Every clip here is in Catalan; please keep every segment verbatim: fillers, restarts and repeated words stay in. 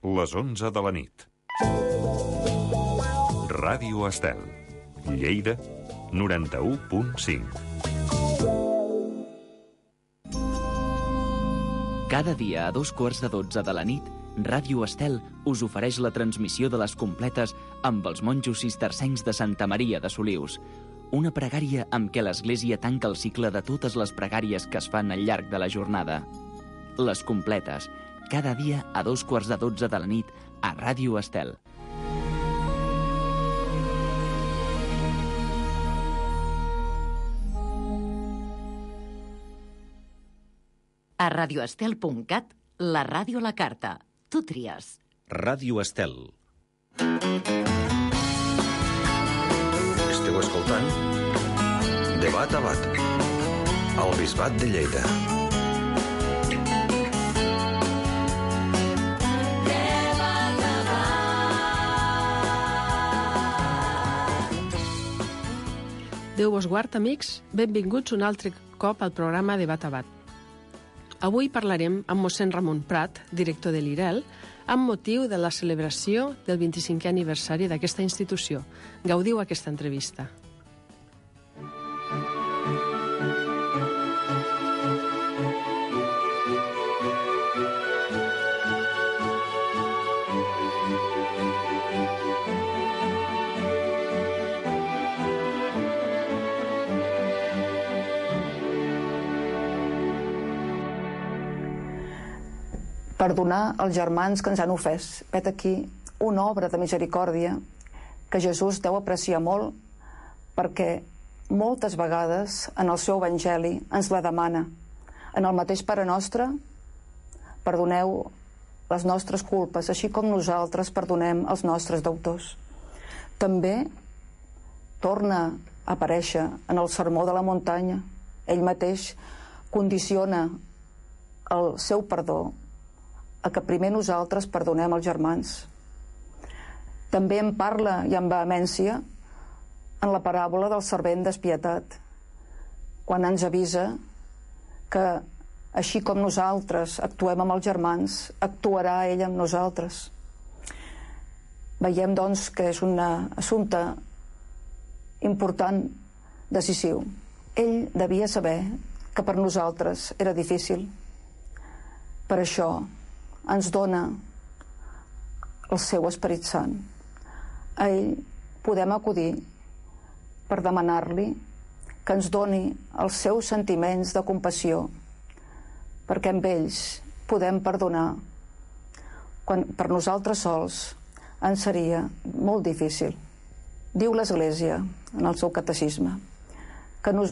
les onze de la nit. Ràdio Estel, Lleida, noranta-u punt cinc. Cada dia a dos quarts de dotze de la nit, Ràdio Estel us ofereix la transmissió de les completes amb els monjos cistercencs de Santa Maria de Solius. Una pregària amb què l'Església tanca el cicle de totes les pregàries que es fan al llarg de la jornada. Les completes, cada dia a dos quarts de dotze de la nit a Ràdio Estel. A radioestel punt cat, la ràdio a la carta. Tu tries. Ràdio Estel. Esteu escoltant Debat a Bat, al Bisbat de Lleida. Déu vos guard, amics. Benvinguts un altre cop al programa Debat a Bat. Avui parlarem amb mossèn Ramon Prat, director de l'I R E L, amb motiu de la celebració del vint-i-cinquè aniversari d'aquesta institució. Gaudiu aquesta entrevista. Perdonar els germans que ens han ofès. Vet aquí una obra de misericòrdia que Jesús deu apreciar molt, perquè moltes vegades en el seu evangeli ens la demana. En el mateix Pare Nostre, perdoneu les nostres culpes, així com nosaltres perdonem els nostres deutors. També torna a aparèixer en el Sermó de la Muntanya. Ell mateix condiciona el seu perdó a que primer nosaltres perdonem els germans. També en parla i amb vehemència en la paràbola del servent despietat, quan ens avisa que així com nosaltres actuem amb els germans, actuarà ell amb nosaltres. Veiem, doncs, que és un assumpte important, decisiu. Ell devia saber que per nosaltres era difícil. Per això ens dona el seu Esperit Sant. A ell podem acudir per demanar-li que ens doni els seus sentiments de compassió, perquè amb ells podem perdonar, quan per nosaltres sols ens seria molt difícil. Diu l'Església en el seu catecisme que no,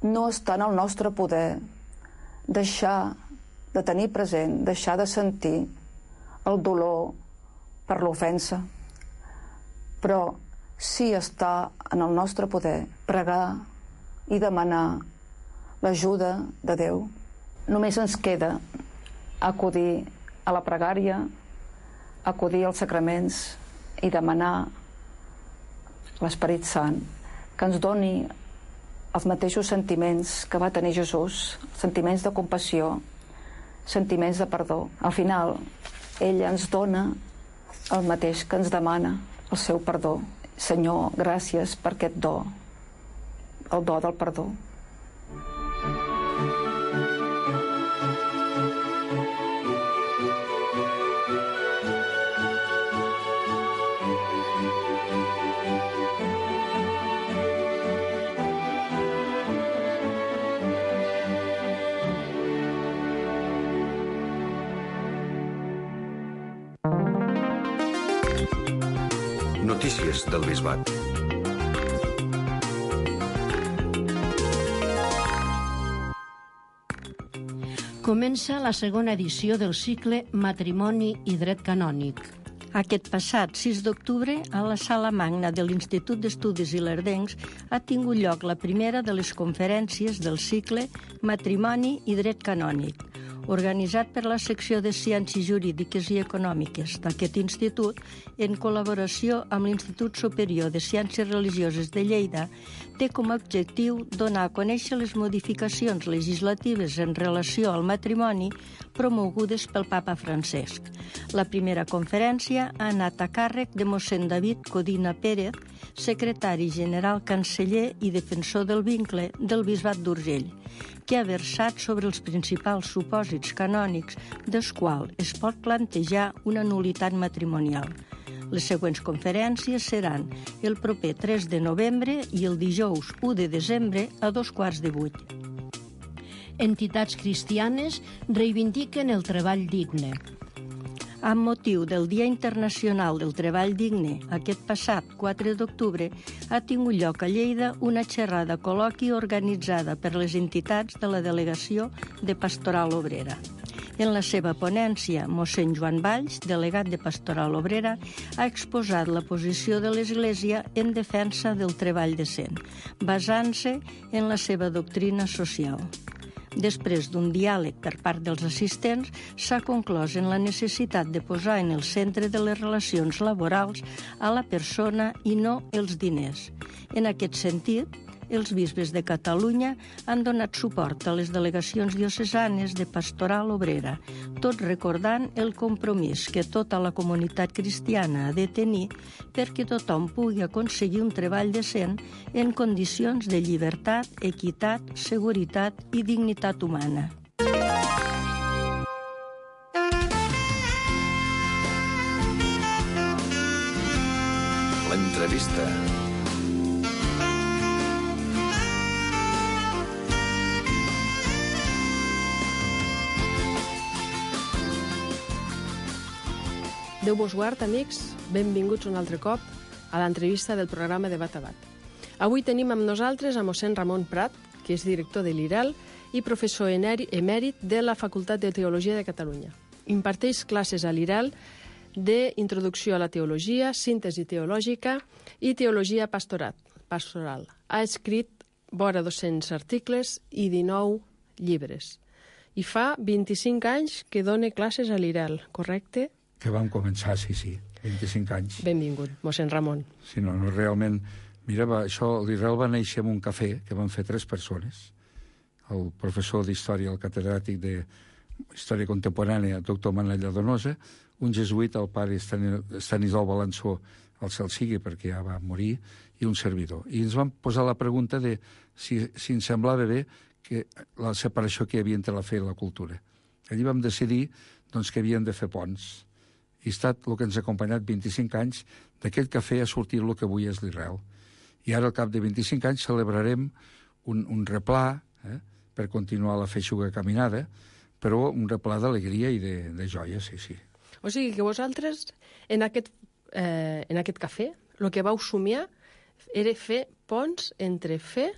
no està en el nostre poder deixar de tenir present, deixar de sentir el dolor per l'ofensa, però sí està en el nostre poder pregar i demanar l'ajuda de Déu. Només ens queda acudir a la pregària, acudir als sacraments i demanar l'Esperit Sant que ens doni els mateixos sentiments que va tenir Jesús, sentiments de compassió, sentiments de perdó. Al final, ell ens dona el mateix que ens demana, el seu perdó. Senyor, gràcies per aquest do, el do del perdó. Notícies del Bisbat. Comença la segona edició del cicle Matrimoni i Dret Canònic. Aquest passat sis d'octubre, a la Sala Magna de l'Institut d'Estudis Ilerdencs ha tingut lloc la primera de les conferències del cicle Matrimoni i Dret Canònic, organitzat per la secció de Ciències Jurídiques i Econòmiques d'aquest institut, en col·laboració amb l'Institut Superior de Ciències Religioses de Lleida, té com a objectiu donar a conèixer les modificacions legislatives en relació al matrimoni promogudes pel papa Francesc. La primera conferència ha anat a càrrec de mossèn David Codina Pérez, secretari general, canceller i defensor del vincle del Bisbat d'Urgell, que ha versat sobre els principals supòsits canònics dels quals es pot plantejar una nul·litat matrimonial. Les següents conferències seran el proper tres de novembre i el dijous u de desembre a dos quarts de vuit. Entitats cristianes reivindiquen el treball digne. Amb motiu del Dia Internacional del Treball Digne, aquest passat quatre d'octubre, ha tingut lloc a Lleida una xerrada col·loqui organitzada per les entitats de la Delegació de Pastoral Obrera. En la seva ponència, mossèn Joan Valls, delegat de Pastoral Obrera, ha exposat la posició de l'Església en defensa del treball decent, basant-se en la seva doctrina social. Després d'un diàleg per part dels assistents, s'ha conclòs en la necessitat de posar en el centre de les relacions laborals a la persona i no els diners. En aquest sentit, els bisbes de Catalunya han donat suport a les delegacions diocesanes de Pastoral Obrera, tot recordant el compromís que tota la comunitat cristiana ha de tenir perquè tothom pugui aconseguir un treball decent en condicions de llibertat, equitat, seguretat i dignitat humana. L'entrevista. Déu vos guard, amics. Benvinguts un altre cop a l'entrevista del programa Debat a Bat. Avui tenim amb nosaltres a mossèn Ramon Prat, que és director de l'I R E L i professor emèrit de la Facultat de Teologia de Catalunya. Imparteix classes a l'I R E L d'introducció a la teologia, síntesi teològica i teologia pastorat, pastoral. Ha escrit vora dos-cents articles i dinou llibres. I fa vint-i-cinc anys que dona classes a l'I R E L, correcte? Que vam començar, sí, sí, vint-i-cinc anys. Benvingut, mossèn Ramon. Sí, no, no, realment... Mira, va, això, l'I R E L va néixer en un cafè que van fer tres persones. El professor d'Història, el catedràtic d'Història Contemporània, doctor Manella Donosa, un jesuïta, el pare Estanislau Balançó, el cel sigui, perquè ja va morir, i un servidor. I ens van posar la pregunta de si, si ens semblava bé que la separació que hi havia entre la fe i la cultura. Allí vam decidir doncs, que havíem de fer ponts. I ha estat el que ens ha acompanyat vint-i-cinc anys d'aquell cafè a sortir el que avui és l'I R E L. I ara, al cap de vint-i-cinc anys, celebrarem un, un replà eh, per continuar la feixuga caminada, però un replà d'alegria i de, de joia, sí, sí. O sigui que vosaltres, en aquest, eh, en aquest cafè, el que vau somiar era fer ponts entre fe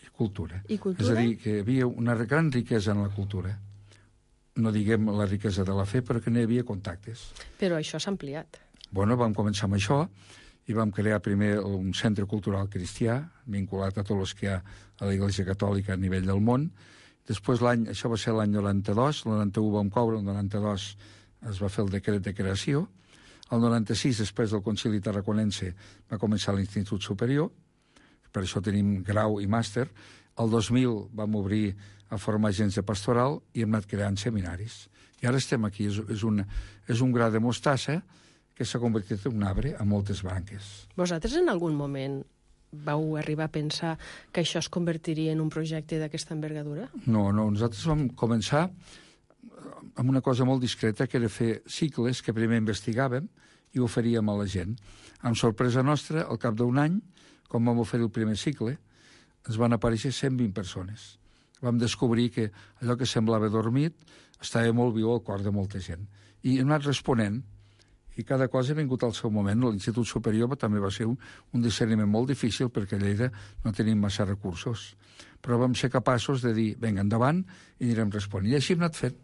i cultura. I cultura. És a dir, que hi havia una gran riquesa en la cultura. No diguem la riquesa de la fe, però que n'hi havia contactes. Però això s'ha ampliat. Bueno, vam començar amb això i vam crear primer un centre cultural cristià, vinculat a tots els que hi ha a l'Església Catòlica a nivell del món. Després, l'any, això va ser l'any noranta-dos, el noranta-u vam coure, el noranta-dos es va fer el decret de creació. El noranta-sis, després del Concili Tarraconense, va començar l'Institut Superior, per això tenim grau i màster. El dos mil vam obrir a formar agents de pastoral i hem anat creant seminaris. I ara estem aquí. És, és, una, és un gra de mostassa que s'ha convertit en un arbre amb moltes branques. Vosaltres en algun moment vau arribar a pensar que això es convertiria en un projecte d'aquesta envergadura? No, no. Nosaltres vam començar amb una cosa molt discreta, que era fer cicles que primer investigàvem i oferíem a la gent. Amb sorpresa nostra, al cap d'un any, quan vam oferir el primer cicle, ens van aparèixer cent vint persones. Vam descobrir que allò que semblava dormit estava molt viu al cor de molta gent. I hem anat responent, i cada cosa ha vingut al seu moment. L'Institut Superior també va ser un, un discerniment molt difícil, perquè a Lleida no tenim massa recursos. Però vam ser capaços de dir, vinga, endavant, i anirem responent. I així hem anat fent.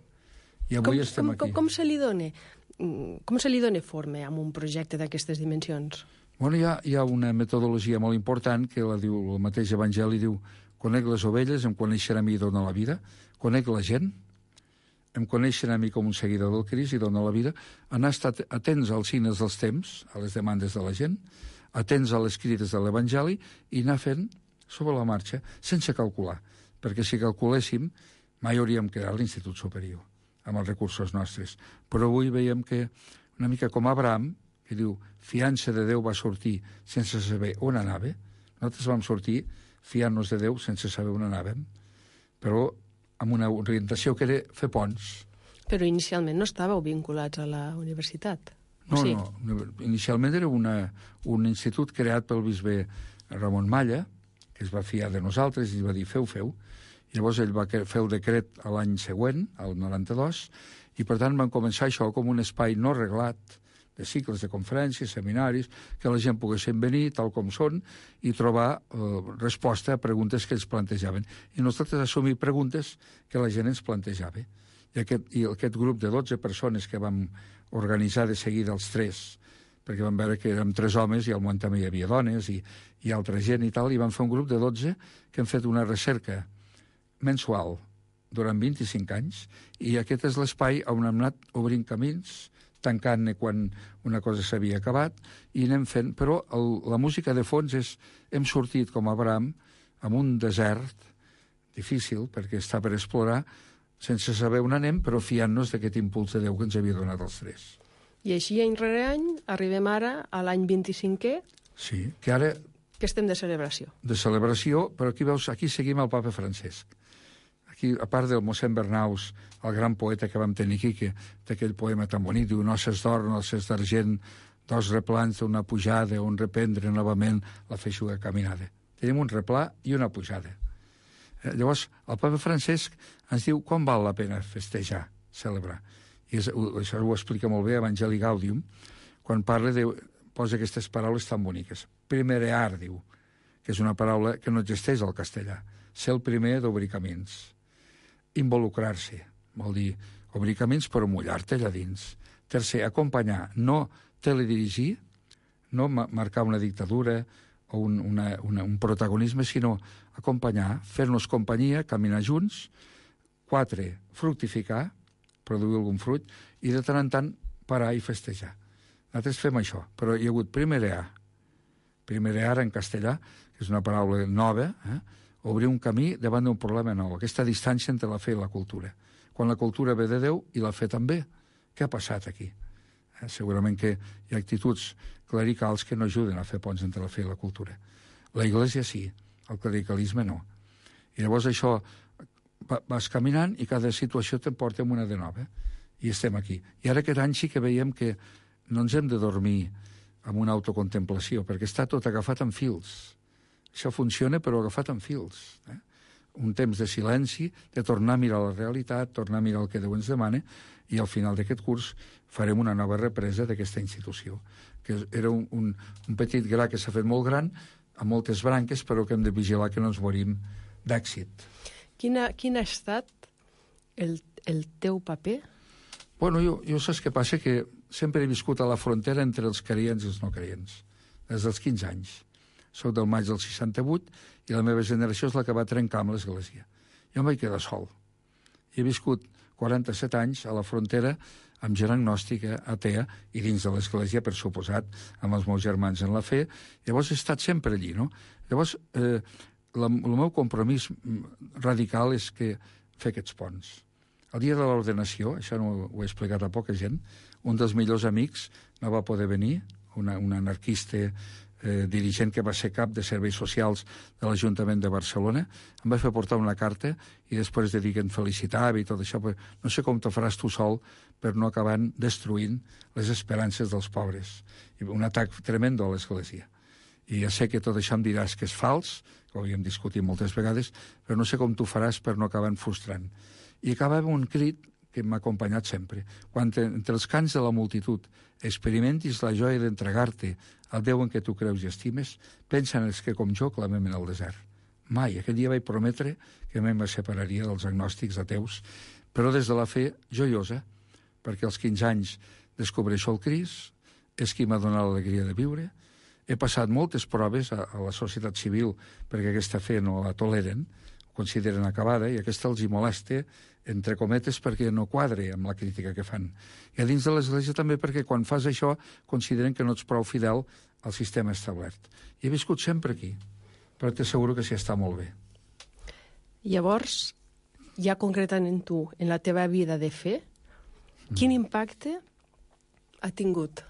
I avui com, estem com, aquí. Com, com se li dona, com se li dona forma amb un projecte d'aquestes dimensions? Bueno, hi ha, hi ha una metodologia molt important que la diu, el mateix Evangeli diu: conec les ovelles, em coneixerà a mi i dona la vida, conec la gent, em coneixen a mi com un seguidor del Crist i dona la vida, han estat atents als signes dels temps, a les demandes de la gent, atents a les crides de l'Evangeli i anar fent sobre la marxa, sense calcular. Perquè si calculéssim, mai hauríem quedat a l'Institut Superior, amb els recursos nostres. Però avui veiem que, una mica com Abraham, que diu, fiança de Déu va sortir sense saber on anava, nosaltres vam sortir fiant-nos de Déu sense saber on anàvem, però amb una orientació que era fer ponts. Però inicialment no estàveu vinculats a la universitat? No, sí? no. Inicialment era una, un institut creat pel bisbe Ramon Malla, que es va fiar de nosaltres i va dir feu, feu. I llavors ell va fer el decret a l'any següent, al noranta-dos, i per tant van començar això com un espai no reglat, de cicles de conferències, seminaris, que la gent poguessin venir tal com són i trobar eh, resposta a preguntes que ells plantejaven. I nosaltres assumir preguntes que la gent ens plantejava. I aquest, i aquest grup de dotze persones que vam organitzar de seguida els tres, perquè vam veure que érem tres homes i al món també hi havia dones i, i altra gent i tal, i vam fer un grup de dotze que hem fet una recerca mensual durant vint-i-cinc anys, i aquest és l'espai on hem anat obrint camins, tancant-ne quan una cosa s'havia acabat, i anem fent... Però el, la música de fons és... Hem sortit, com Abraham, amb un desert difícil, perquè està per explorar, sense saber on anem, però fiant-nos d'aquest impuls de Déu que ens havia donat els tres. I així, any rere any, arribem ara a l'any vint-i-cinquè, Sí, que ara... que estem de celebració. De celebració, però aquí veus, aquí seguim el papa Francesc. Aquí, a part del mossèn Bernaus, el gran poeta que vam tenir aquí, que té aquell poema tan bonic, diu noces d'or, noces d'argent, dos replans d'una pujada, un reprendre novament la feixuga caminada. Tenim un replà i una pujada. Eh, llavors, el papa Francesc ens diu quan val la pena festejar, celebrar. I és, això ho explica molt bé Evangelii Gaudium, quan parla de... posa aquestes paraules tan boniques. Primerear, diu, que és una paraula que no existeix al castellà. Ser el primer d'obrir camins. Involucrar-se, vol dir obrir camins però mullar-te allà dins. Tercer, acompanyar, no teledirigir, no marcar una dictadura o un, una, una, un protagonisme, sinó acompanyar, fer-nos companyia, caminar junts. Quatre, fructificar, produir algun fruit, i de tant en tant parar i festejar. Nosaltres fem això, però hi ha hagut primerear, primerear en castellà, que és una paraula nova, eh? Obrir un camí davant d'un problema nou, aquesta distància entre la fe i la cultura. Quan la cultura ve de Déu i la fe també, què ha passat aquí? Eh? Segurament que hi ha actituds clericals que no ajuden a fer ponts entre la fe i la cultura. La Iglésia sí, el clericalisme no. I llavors això vas caminant i cada situació te'n porta amb una de nova. I estem aquí. I ara aquest any sí que veiem que no ens hem de dormir amb una autocontemplació, perquè està tot agafat en fils. Això funciona, però agafat en fils. Eh? Un temps de silenci, de tornar a mirar la realitat, tornar a mirar el que Déu ens demana, i al final d'aquest curs farem una nova represa d'aquesta institució, que era un, un, un petit gra que s'ha fet molt gran, amb moltes branques, però que hem de vigilar que no ens morim d'èxit. Quina, quin ha estat el, el teu paper? Bueno, jo, jo saps què passa? Que sempre he viscut a la frontera entre els creients i els no creients, des dels quinze anys. Soc del maig del seixanta-vuit i la meva generació és la que va trencar amb l'Església. Jo em vaig quedar sol. I he viscut quaranta-set anys a la frontera amb gent agnòstica, atea, i dins de l'Església, per suposat, amb els meus germans en la fe. Llavors he estat sempre allí, no? Llavors, eh, la, el meu compromís radical és que fer aquests ponts. El dia de l'ordenació, això no ho he explicat a poca gent, un dels millors amics no va poder venir, una, un anarquista eh, dirigent que va ser cap de serveis socials de l'Ajuntament de Barcelona, em va fer portar una carta i després de dir que em felicitava i tot això, però no sé com te faràs tu sol per no acabar destruint les esperances dels pobres. I un atac tremendo a l'Església. I ja sé que tot això em diràs que és fals, que ho havíem discutit moltes vegades, però no sé com tu faràs per no acabar frustrant. I acaba amb un crit que m'ha acompanyat sempre. Quan entre els cants de la multitud experimentis la joia d'entregar-te al Déu en què tu creus i estimes, pensa en els que com jo clamem en el desert. Mai, aquell dia vaig prometre que mai me separaria dels agnòstics ateus, però des de la fe joiosa, perquè als quinze anys descobreixo el Crist, és qui m'ha donat l'alegria de viure, he passat moltes proves a, a la societat civil perquè aquesta fe no la toleren, consideren acabada, i aquesta els hi molesta, entre cometes, perquè no quadre amb la crítica que fan. I a dins de l'Església també perquè quan fas això consideren que no ets prou fidel al sistema establert. I he viscut sempre aquí, però t'asseguro que s'hi està molt bé. Llavors, ja concretament tu, en la teva vida de fe, quin impacte ha tingut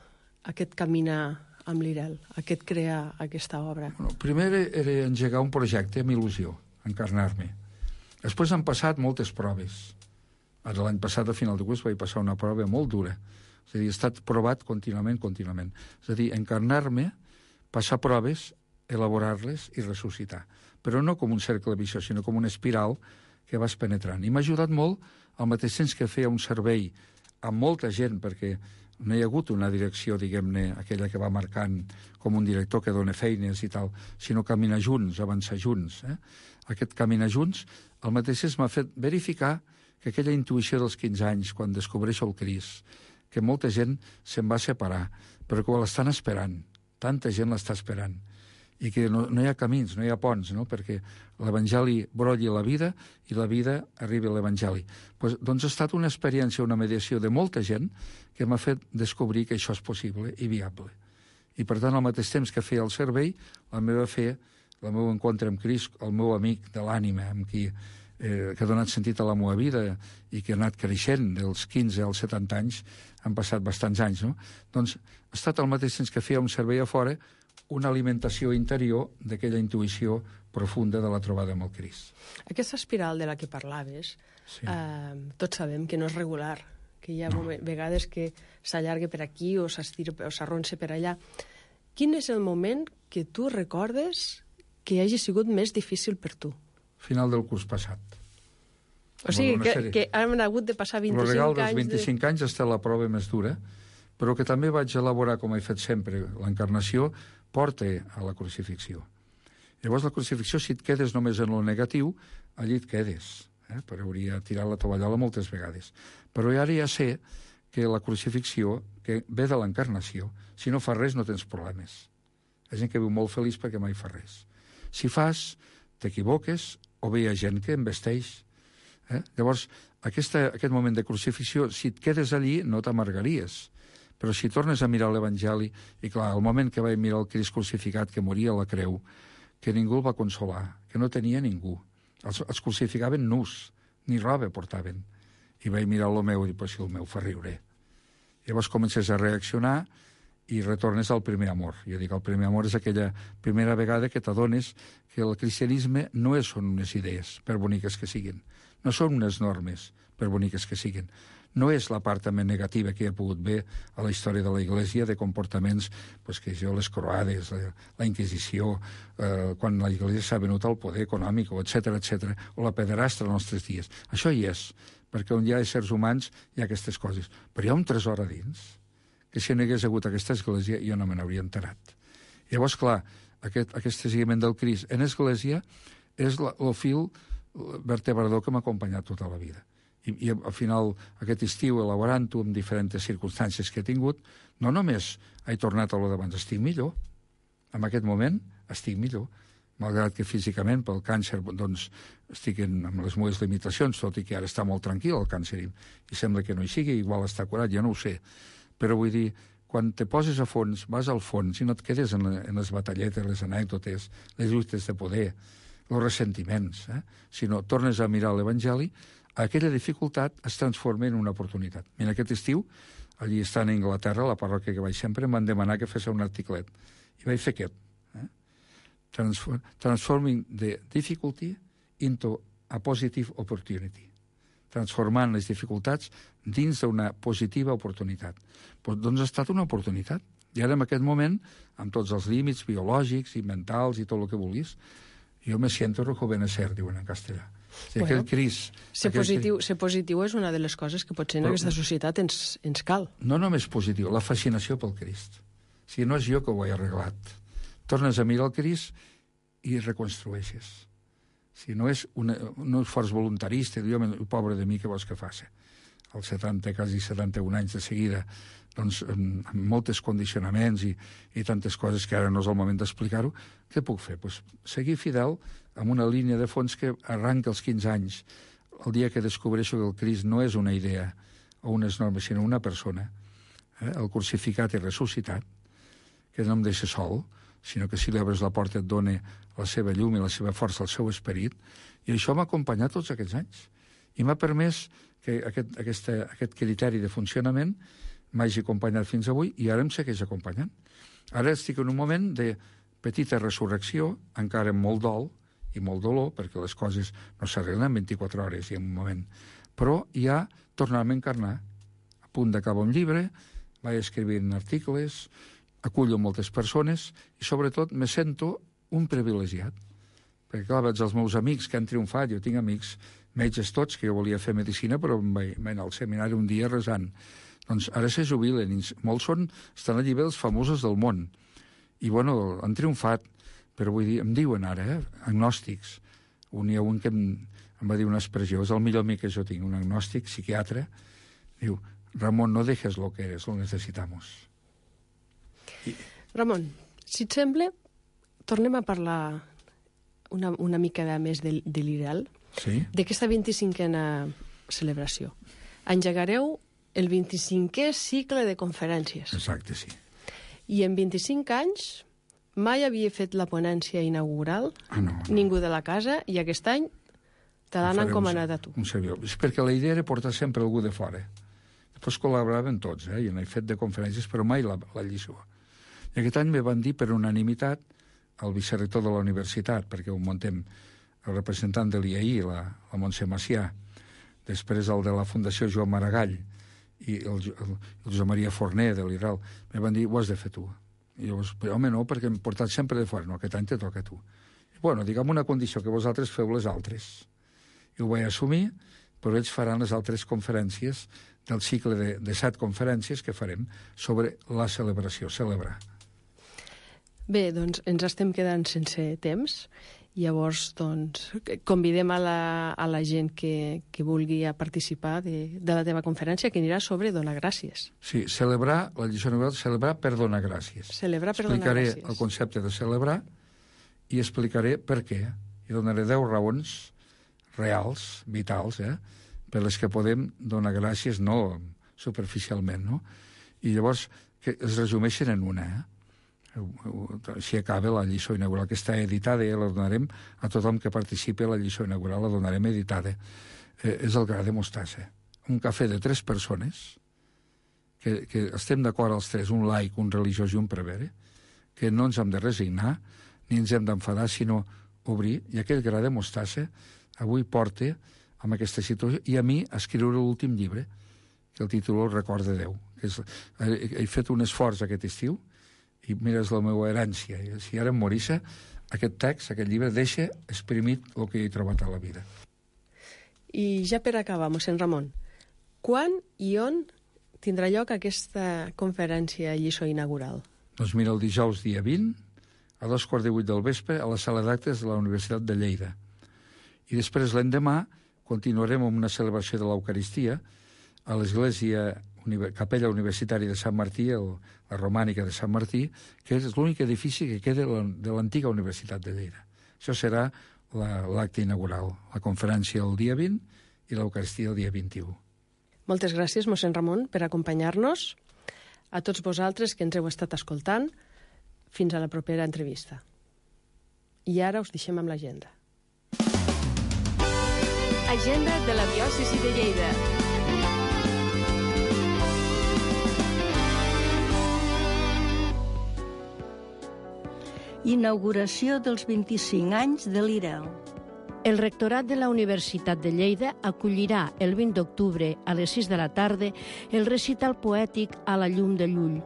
aquest caminar amb l'Irel, aquest crear aquesta obra? Bueno, primer era engegar un projecte amb il·lusió, encarnar-me. Després han passat moltes proves. Ara l'any passat, a final de curs, vaig passar una prova molt dura. És a dir, he estat provat contínuament, contínuament. És a dir, encarnar-me, passar proves, elaborar-les i ressuscitar. Però no com un cercle viciós, sinó com una espiral que vas penetrant. I m'ha ajudat molt al mateix temps que feia un servei amb molta gent, perquè no hi ha hagut una direcció, diguem-ne, aquella que va marcant com un director que dona feines i tal, sinó caminar junts, avançar junts. Eh? Aquest caminar junts, al mateix temps m'ha fet verificar que aquella intuïció dels quinze anys, quan descobreixo el Crist, que molta gent se'n va separar, però que l'estan esperant, tanta gent l'està esperant, i que no, no hi ha camins, no hi ha ponts, no? Perquè l'Evangeli brolli la vida i la vida arribi a l'Evangeli. Pues, doncs ha estat una experiència, una mediació de molta gent que m'ha fet descobrir que això és possible i viable. I per tant, al mateix temps que feia el servei, la meva fe, el meu encontre amb Crist, el meu amic de l'ànima, amb qui eh, que ha donat sentit a la meva vida i que ha anat creixent dels quinze als setanta anys, han passat bastants anys, no? Doncs ha estat al mateix temps que feia un servei a fora, una alimentació interior d'aquella intuïció profunda de la trobada amb el Crist. Aquesta espiral de la que parlaves, sí. eh, tots sabem que no és regular, que hi ha no. vegades que s'allarga per aquí o s'estira o s'arronsa per allà. Quin és el moment que tu recordes que hagi sigut més difícil per tu? Final del curs passat. O sigui, que, que han hagut de passar vint-i-cinc anys... El regal dels vint-i-cinc de... anys ha estat la prova més dura, però que també vaig elaborar, com he fet sempre, l'encarnació porta a la crucifixió. Llavors, la crucifixió, si et quedes només en lo negatiu, allí et quedes. Eh? Però hauria tirat la tovallola moltes vegades. Però ara ja sé que la crucifixió, que ve de l'encarnació, si no fas res no tens problemes. Hi ha gent que viu molt feliç perquè mai fa res. Si fas, t'equivoques, o bé hi ha gent que embesteix. Eh? Llavors, aquesta, aquest moment de crucifixió, si et quedes allí, no t'amargaries. Però si tornes a mirar l'Evangeli, i clar, el moment que vaig mirar el Crist crucificat, que moria a la creu, que ningú el va consolar, que no tenia ningú. Els, els crucificaven nus, ni roba portaven. I vaig mirar el meu i dir, però si el meu fa riure. Llavors comences a reaccionar i retornes al primer amor. Jo dic, el primer amor és aquella primera vegada que t'adones que el cristianisme no són unes idees, per boniques que siguin. No són unes normes, per boniques que siguin. No és la part també negativa que hi ha pogut ver a la història de la Iglésia, de comportaments, pues, que jo, les croades, la, la Inquisició, eh, quan la Iglésia s'ha venut al poder econòmic, etcètera, etcètera, o la pederastra als nostres dies. Això hi és, perquè on hi ha éssers humans hi ha aquestes coses. Però hi ha un tresor a dins, que si no hi hagués hagut aquesta Església jo no me n'hauria enterat. Llavors, clar, aquest, aquest seguiment del Crist en Església és la, el fil vertebrador que m'ha acompanyat tota la vida. I, i al final, aquest estiu, elaborant-ho amb diferents circumstàncies que he tingut, no només he tornat a lo d'abans, estic millor. En aquest moment estic millor. Malgrat que físicament, pel càncer, doncs, estic en, amb les meves limitacions, tot i que ara està molt tranquil el càncer, i, i sembla que no hi sigui, igual està curat, ja no ho sé. Però vull dir, quan te poses a fons, vas al fons, i no et quedes en, en les batalletes, les anècdotes, les lluites de poder, els ressentiments, eh? sinó tornes a mirar l'Evangeli, aquella dificultat es transforma en una oportunitat. Mira, aquest estiu, allí estant a Anglaterra, a la parròquia que vaig sempre, em van demanar que fes un articlet. I vaig fer aquest. Eh? Transform, transforming the difficulty into a positive opportunity. Transformant les dificultats dins d'una positiva oportunitat. Pues, doncs ha estat una oportunitat. I ara, en aquest moment, amb tots els límits biològics i mentals i tot el que vulguis, jo me siento rejuvenecer, diuen en castellà. Sí, bueno, Cris, ser, positiu, ser positiu és una de les coses que potser en però, aquesta societat ens, ens cal. No només positiu, la fascinació pel Crist. O sigui, no és jo que ho he arreglat. Tornes a mirar el Crist i reconstrueixes. O sigui, no és una, un esforç voluntarista, jo, pobre de mi, què vols que faci? Als setanta, quasi setanta-un anys de seguida, doncs, amb, amb moltes condicionaments i, i tantes coses que ara no és el moment d'explicar-ho, què puc fer? Pues, seguir fidel amb una línia de fons que arranca els quinze anys, el dia que descobreixo que el Crist no és una idea o unes normes, sinó una persona, eh? el crucificat i ressuscitat, que no em deixa sol, sinó que si li obres la porta et dona la seva llum i la seva força, el seu esperit, i això m'ha acompanyat tots aquests anys. I m'ha permès que aquest, aquesta, aquest criteri de funcionament m'hagi acompanyat fins avui i ara em segueix acompanyant. Ara estic en un moment de petita resurrecció, encara amb molt dol i molt dolor, perquè les coses no s'arreglen en vint-i-quatre hores i en un moment. Però ja tornar-me a encarnar. A punt d'acabar un llibre, vaig escrivint articles, acullo moltes persones i, sobretot, me sento un privilegiat. Perquè, clar, veig els meus amics que han triomfat. Jo tinc amics metges tots, que jo volia fer medicina, però em vaig anar al seminari un dia resant. Doncs ara se jubilen. Molts són, estan a llibres famosos del món. I, bueno, han triomfat. Però vull dir, em diuen ara, eh, agnòstics. Un hi ha un que em, em va dir una expressió, és el millor amic que jo tinc, un agnòstic, psiquiatre. Diu, Ramon, no dejes lo que eres, lo necesitamos. I... Ramon, si et sembla, tornem a parlar una, una mica de més de, de l'I R E L, sí? D'aquesta vint-i-cinquena celebració. Engegareu el vint-i-cinquè cicle de conferències. Exacte, sí. I en vint-i-cinc anys mai havia fet la ponència inaugural, ah, no, no. ningú de la casa, i aquest any te l'han encomanat a tu. Un servidor. És perquè la idea era portar sempre algú de fora. Després col·laboraven tots, eh? I n'he fet de conferències, però mai la, la lliçó. I aquest any me van dir per unanimitat el vicerector de la universitat, perquè ho muntem el representant de l'I A I, la, la Montse Macià, després el de la Fundació Joan Maragall i el, el, el Josep Maria Forner de l'I R E L, me van dir, ho has de fer tu. I llavors, però home, no, perquè hem portat sempre de fora. No, aquest any te toca a tu. I, bueno, diguem una condició, que vosaltres feu les altres. I ho vaig assumir, però ells faran les altres conferències del cicle de, de set conferències que farem sobre la celebració, celebrar. Bé, doncs ens estem quedant sense temps. Llavors, doncs, convidem a la, a la gent que, que vulgui participar de, de la teva conferència, que anirà sobre donar gràcies. Sí, celebrar, la lliçó inaugural, celebrar per donar gràcies. Celebrar per donar gràcies. Explicaré el concepte de celebrar i explicaré per què. I donaré deu raons reals, vitals, eh, per les que podem donar gràcies, no superficialment, no? I llavors, que es resumeixen en una, eh? Si acaba la lliçó inaugural, que està editada, i la donarem a tothom que participi a la lliçó inaugural, la donarem editada. Eh, és el gra de mostassa. Un cafè de tres persones, que, que estem d'acord els tres, un laic, un religiós i un prevere, que no ens hem de resignar, ni ens hem d'enfadar, sinó obrir, i aquell gra de mostassa avui porta amb aquesta situació, i a mi escriure l'últim llibre, que el títol el Record de Déu. Que és, he, he fet un esforç aquest estiu, i mira, és la meva herència. I si ara em morissa, aquest text, aquest llibre, deixa exprimit el que he trobat a la vida. I ja per acabar, mossèn Ramon, quan i on tindrà lloc aquesta conferència lliçó inaugural? Doncs mira, el dijous dia vint, a dos quarts de vuit del vespre, a la sala d'actes de la Universitat de Lleida. I després, l'endemà, continuarem amb una celebració de l'Eucaristia a l'església Capella Universitària de Sant Martí, el, la romànica de Sant Martí, que és l'únic edifici que queda de l'antiga Universitat de Lleida. Això serà l'acte la, inaugural, la conferència el dia vint i l'Eucaristia el dia vint-i-u. Moltes gràcies, mossèn Ramon, per acompanyar-nos. A tots vosaltres que ens heu estat escoltant, fins a la propera entrevista. I ara us deixem amb l'agenda. Agenda de la diòcesi de Lleida. Inauguració dels vint-i-cinc anys de l'I R E L. El rectorat de la Universitat de Lleida acollirà el vint d'octubre a les sis de la tarda el recital poètic A la llum de Llull.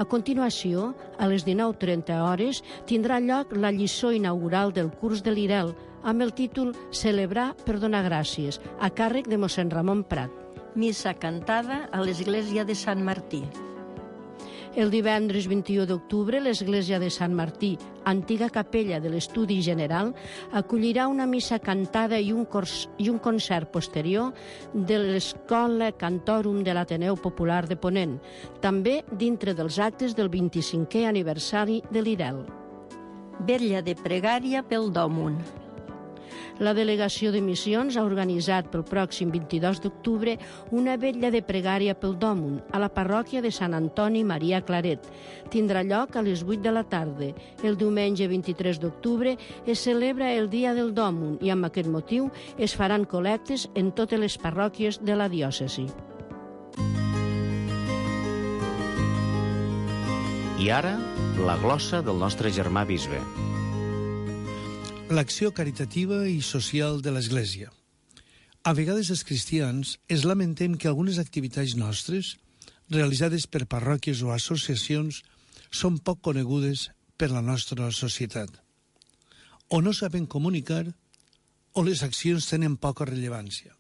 A continuació, a les dinou trenta hores, tindrà lloc la lliçó inaugural del curs de l'I R E L amb el títol Celebrar per donar gràcies, a càrrec de mossèn Ramon Prat. Missa cantada a l'església de Sant Martí. El divendres vint-i-u d'octubre, l'església de Sant Martí, antiga capella de l'Estudi General, acollirà una missa cantada i un, cors, i un concert posterior de l'Escola Cantorum de l'Ateneu Popular de Ponent, també dintre dels actes del vint-i-cinquè aniversari de l'I R E L. Vetlla de pregària pel Dòmun. La delegació de missions ha organitzat pel pròxim vint-i-dos d'octubre una vetlla de pregària pel Dòmun a la parròquia de Sant Antoni Maria Claret. Tindrà lloc a les vuit de la tarda. El diumenge vint-i-tres d'octubre es celebra el Dia del Dòmun i amb aquest motiu es faran col·lectes en totes les parròquies de la diòcesi. I ara, la glossa del nostre germà bisbe. L'acció caritativa i social de l'Església. A vegades els cristians es lamentem que algunes activitats nostres, realitzades per parròquies o associacions, són poc conegudes per la nostra societat. O no saben comunicar, o les accions tenen poca rellevància.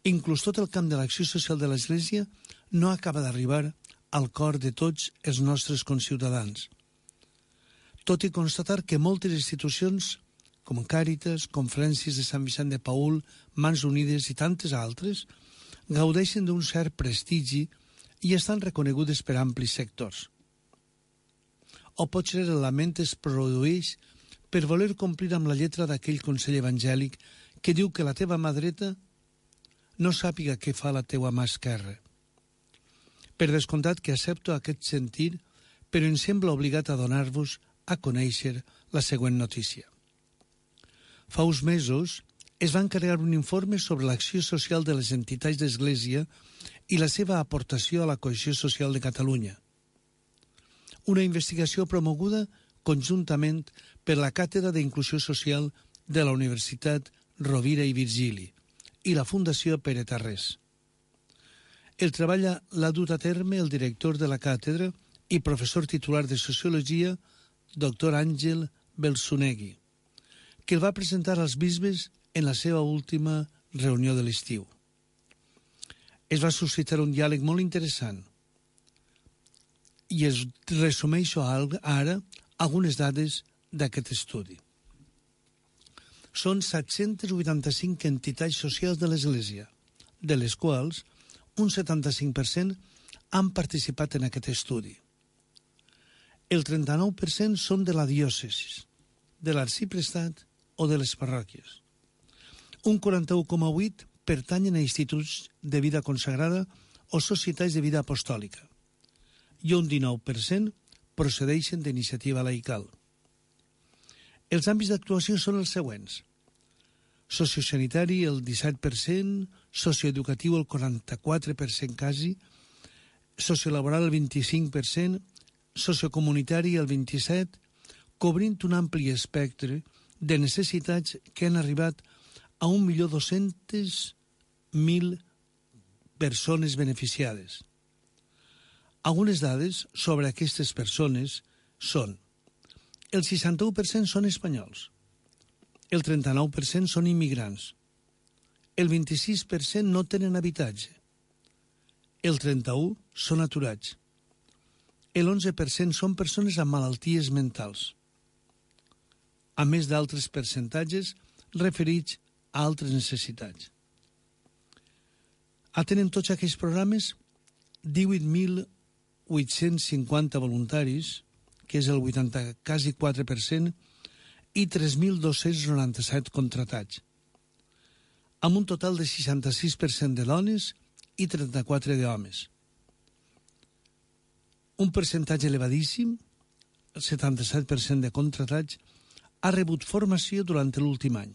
Inclús tot el camp de l'acció social de l'Església no acaba d'arribar al cor de tots els nostres conciutadans. Tot i constatar que moltes institucions, com Càritas, Conferències de Sant Vicent de Paül, Mans Unides i tantes altres, gaudeixen d'un cert prestigi i estan reconegudes per amplis sectors. O potser el lament es produeix per voler complir amb la lletra d'aquell consell evangèlic que diu que la teva mà dreta no sàpiga què fa la teua mà esquerra. Per descomptat que accepto aquest sentir, però em sembla obligat a donar-vos a conèixer la següent notícia. Fa uns mesos es va encarregar un informe sobre l'acció social de les entitats d'Església i la seva aportació a la cohesió social de Catalunya. Una investigació promoguda conjuntament per la Càtedra d'Inclusió Social de la Universitat Rovira i Virgili i la Fundació Pere Tarrés. El treball l'ha dut a terme el director de la càtedra i professor titular de Sociologia, doctor Àngel Belsunegui, que el va presentar als bisbes en la seva última reunió de l'estiu. Es va suscitar un diàleg molt interessant i es resumeixo ara algunes dades d'aquest estudi. Són set-cents vuitanta-cinc entitats socials de l'Església, de les quals un setanta-cinc per cent han participat en aquest estudi. El trenta-nou per cent són de la diòcesi, de l'arxiprestat o de les parròquies. Un quaranta-u coma vuit per cent pertanyen a instituts de vida consagrada o societats de vida apostòlica i un dinou per cent procedeixen d'iniciativa laical. Els àmbits d'actuació són els següents: sociosanitari el disset per cent, socioeducatiu el quaranta-quatre per cent quasi, sociolaboral el vint-i-cinc per cent, sociocomunitari el vint-i-set per cent, cobrint un ampli espectre de necessitats que han arribat a un milió dos-cents mil persones beneficiades. Algunes dades sobre aquestes persones són: el seixanta-u per cent són espanyols, el trenta-nou per cent són immigrants, el vint-i-sis per cent no tenen habitatge, el trenta-u per cent són aturats, l'onze per cent són persones amb malalties mentals, a més d'altres percentatges referits a altres necessitats. Atenen tots aquests programes divuit mil vuit-cents cinquanta voluntaris, que és el vuitanta, quasi quatre per cent, i tres mil dos-cents noranta-set contratats, amb un total de seixanta-sis per cent de dones i trenta-quatre d'homes. Un percentatge elevadíssim, el setanta-set per cent de contratats, ha rebut formació durant l'últim any.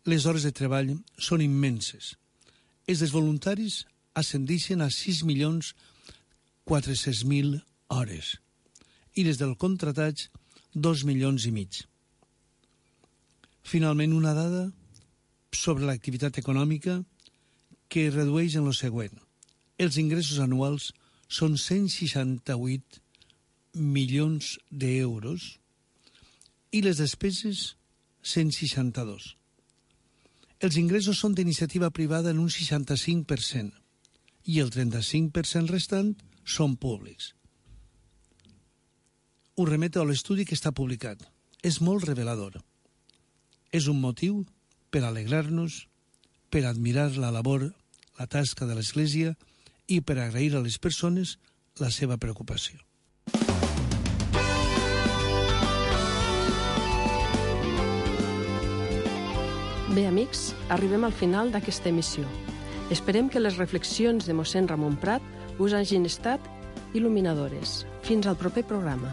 Les hores de treball són immenses. Els dels voluntaris ascendeixen a sis milions quatre-cents mil hores i les del contratats dos milions i mig. Finalment, una dada sobre l'activitat econòmica que es redueix en el següent. Els ingressos anuals són cent seixanta-vuit milions d'euros i les despeses cent seixanta-dos. Els ingressos són d'iniciativa privada en un seixanta-cinc per cent i el trenta-cinc per cent restant són públics. Us remeto a l'estudi que està publicat. És molt revelador. És un motiu per alegrar-nos, per admirar la labor, la tasca de l'Església i per agrair a les persones la seva preocupació. Bé, amics, arribem al final d'aquesta emissió. Esperem que les reflexions de mossèn Ramon Prat us hagin estat il·luminadores. Fins al proper programa.